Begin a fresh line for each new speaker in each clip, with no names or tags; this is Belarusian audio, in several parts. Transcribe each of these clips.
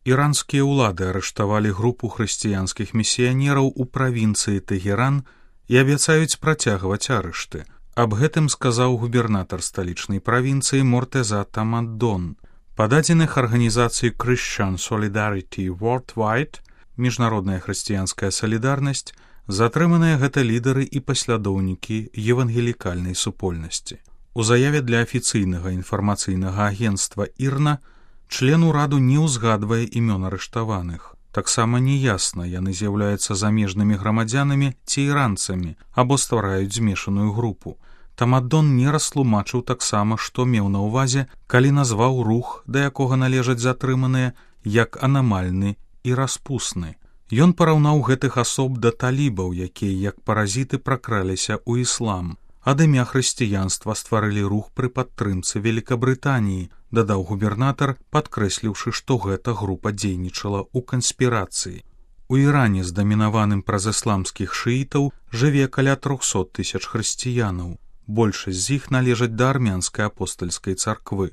Іранскія ўлады арыштавалі групу хрысціянскіх місіянераў у правінцыі Тэгеран і абяцаюць працягваць арышты. Аб гэтым сказаў губернатар сталічнай правінцыі Мортеза Тамаддон. Па дадзеных арганізацыі Christian Solidarity Worldwide, міжнародная хрысціянская салідарнасць, затрыманыя гэта лідары і паслядоўнікі евангелікальнай супольнасці. У заяве для афіцыйнага інфармацыйнага агенцтва ІРНА член ураду не ўзгадвае імён арыштаваных. Таксама неясна, яны з'яўляюцца замежнымі грамадзянамі ці іранцамі або ствараюць змешаную групу. Тамаддон не растлумачыў таксама, што меў на ўвазе, калі назваў рух, да якога належаць затрыманыя, як анамальны і распусны. Ён параўнаў гэтых асоб да талібаў, якія як паразіты пракраліся ў іслам. Ад імя хрысціянства стварылі рух пры падтрымцы Великабрытаніі, дадаў губернатар, падкрэсліўшы, што гэта група дзейнічала ў канспірацыі. У Іране з дамінаваным праз ісламскіх шыітаў жыве каля 300 000 хрысціянаў. Большасць з іх належаць да армянскай апостальскай царквы.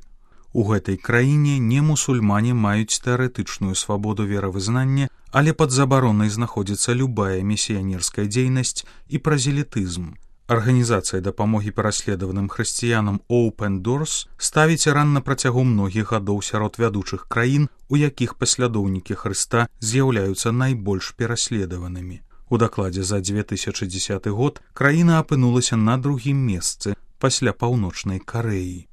У гэтай краіне немусульмане маюць тэарэтычную свабоду веравызнання, але пад забаронай знаходзіцца любая місіянерская дзейнасць і празелітызм. Арганізацыя дапамогі пераследаваным хрысціянам Open Doors ставіць Іран на працягу многіх гадоў сярод вядучых краін, у якіх паслядоўнікі Хрыста з'яўляюцца найбольш пераследаванымі. У дакладзе за 2010 год краіна апынулася на другім месцы пасля Паўночнай Карэі.